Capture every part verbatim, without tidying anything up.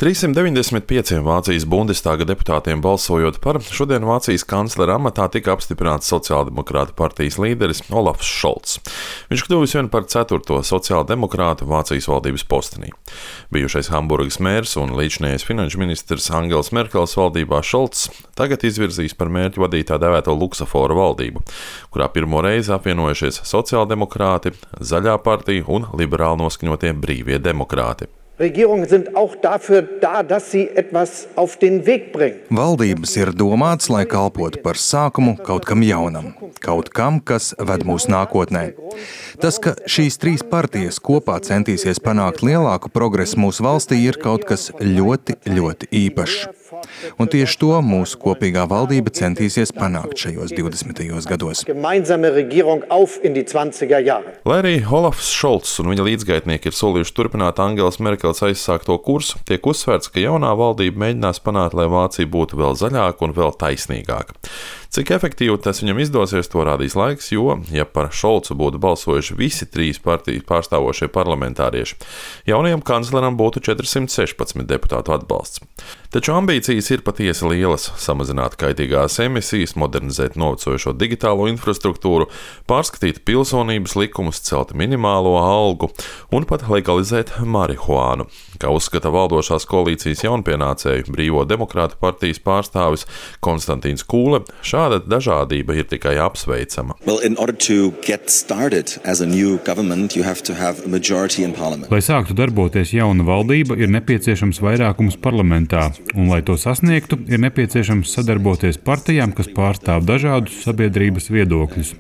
trīssimt deviņdesmit pieciem Vācijas Bundestāga deputātiem balsojot par, šodien Vācijas kanclera amatā tika apstiprināts sociāldemokrātu partijas līderis Olafs Šolts. Viņš kļuvis vien par ceturto sociāldemokrātu Vācijas valdības postenī. Bijušais Hamburgas mērs un līdzinājais finanšu ministrs Angels Merkels valdībā Šolts tagad izvirzīs par mērķi vadīt tā dēvēto Luksaforu valdību, kurā pirmo reizi apvienojušies sociāldemokrāti, Zaļā partija un liberāli noskaņotie Brīvie demokrāti. Regierungen sind auch dafür da, dass sie etwas auf den Weg bringen. Valdības ir domāts, lai kalpotu par sākumu kaut kam jaunam, kaut kam, kas ved mūs nākotnē. Tas, ka šīs trīs partijas kopā centīsies panākt lielāku progresu mūsu valstī, ir kaut kas ļoti, ļoti īpašs. Un tieši to mūsu kopīgā valdība centīsies panākt šajos divdesmitajos gados. Gemeinsame Regierung auf in die zwanziger Jahre. Lai arī Olafs Šolts un viņa līdzgaitnieki ir solījuši turpināt Angelas Merkels aizsākto kursu, tiek uzsvērts, ka jaunā valdība mēģinās panākt, lai Vācija būtu vēl zaļāka un vēl taisnīgāka. Cik efektīvi tas viņam izdosies, to rādīs laiks, jo, ja par Šolcu būtu balsojuši visi trīs partijas pārstāvošie parlamentārieši, jaunajam kancleram būtu četrsimt sešpadsmit deputātu atbalsts. Taču ambīcijas ir patiesi lielas - samazināt kaitīgās emisijas, modernizēt novecojošo digitālo infrastruktūru, pārskatīt pilsonības likumus, celt minimālo algu un pat legalizēt marihuānu. Kā uzskata valdošās koalīcijas jaunpienācēju Brīvo demokrātu partijas pārstāvis Konstantīns Kūle, šāda dažādība ir tikai apsveicama. Well, in order to get started as a new government, you have to have a majority in parliament. Lai sāktu darboties jauna valdība, ir nepieciešams vairākums parlamentā, un, lai to sasniegtu, ir nepieciešams sadarboties partijām, kas pārstāv dažādus sabiedrības viedokļus.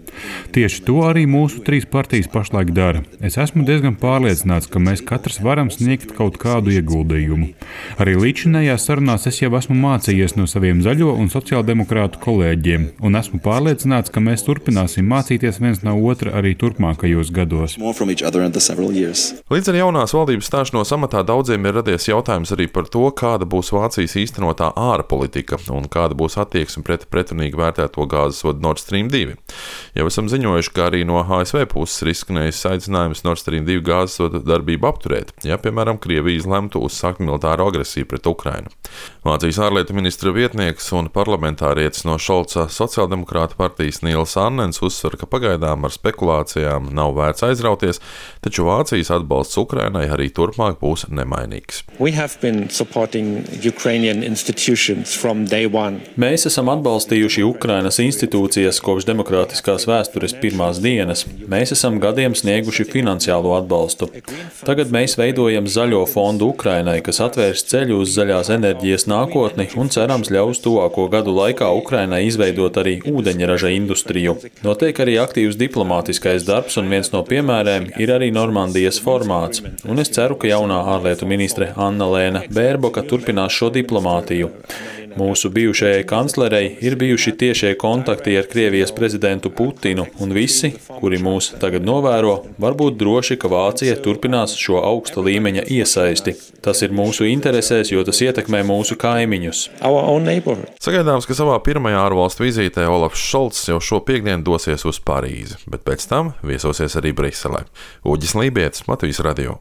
Tieši to arī mūsu trīs partijas pašlaik dara. Es esmu diezgan pārliecināts, ka mēs katrs varam sniegt kaut kādu ieguldījumu. Arī līdzinājās sarunās es jau esmu mācījies no saviem zaļo un sociāldemokrātu kolēģiem, un esmu pārliecināts, ka mēs turpināsim mācīties viens no otra arī turpmākajos gados. Līdz ar jaunās valdības stāšanos amatā daudziem ir radies jautājums arī par to, kāda būs Vācijas īstenotā ārpolitika un kāda būs attieksme pret pretrunīgi vērtēto gāzes vadu Nord Stream divi. Jau esam ziņojuši, ka arī no A S V puses ir izskanējis aicinājums Nord Stream divi gāzes vadu darbību apturēt, ja, piemēram, Krievija izlemtu uzsākt militāru agresiju pret Ukrainu. Vācijas ārlietu ministra vietnieks un parlamentārietis no Šolca sociāldemokrāta partijas Nīls Annens uzsver, ka pagaidām ar spekulācijām nav vērts aizrauties, taču Vācijas atbalsts Ukrainai arī turpmāk būs nemainīgs. Mēs esam atbalstījuši Ukrainas institūcijas kopš demokrātiskās vēstures pirmās dienas. Mēs esam gadiem snieguši finansiālo atbalstu. Tagad mēs veidojam zaļo fondu Ukrainai, kas atvērs ceļu uz zaļās enerģijas nākotni un cerams ļaus tuvāko gadu laikā Ukrainai izveidot arī ūdeņraža industriju. Notiek arī aktīvs diplomātiskais darbs, un viens no piemēriem ir arī Normandijas formāts. Un es ceru, ka jaunā ārlietu ministre Anna-Lēna Bērboka turpinās šo diplomātiju. Mūsu bijušajai kanclerei ir bijuši tiešie kontakti ar Krievijas prezidentu Putinu, un visi, kuri mūs tagad novēro, var būt droši, ka Vācija turpinās šo augsta līmeņa iesaisti. Tas ir mūsu interesēs, jo tas ietekmē mūsu kaimiņus. Sagaidāms, ka savā pirmajā ārvalstu vizītē Olafs Šolts jau šo piektdienu dosies uz Parīzi, bet pēc tam viesosies arī Briselē. Uģis Lībietis, Latvijas radio.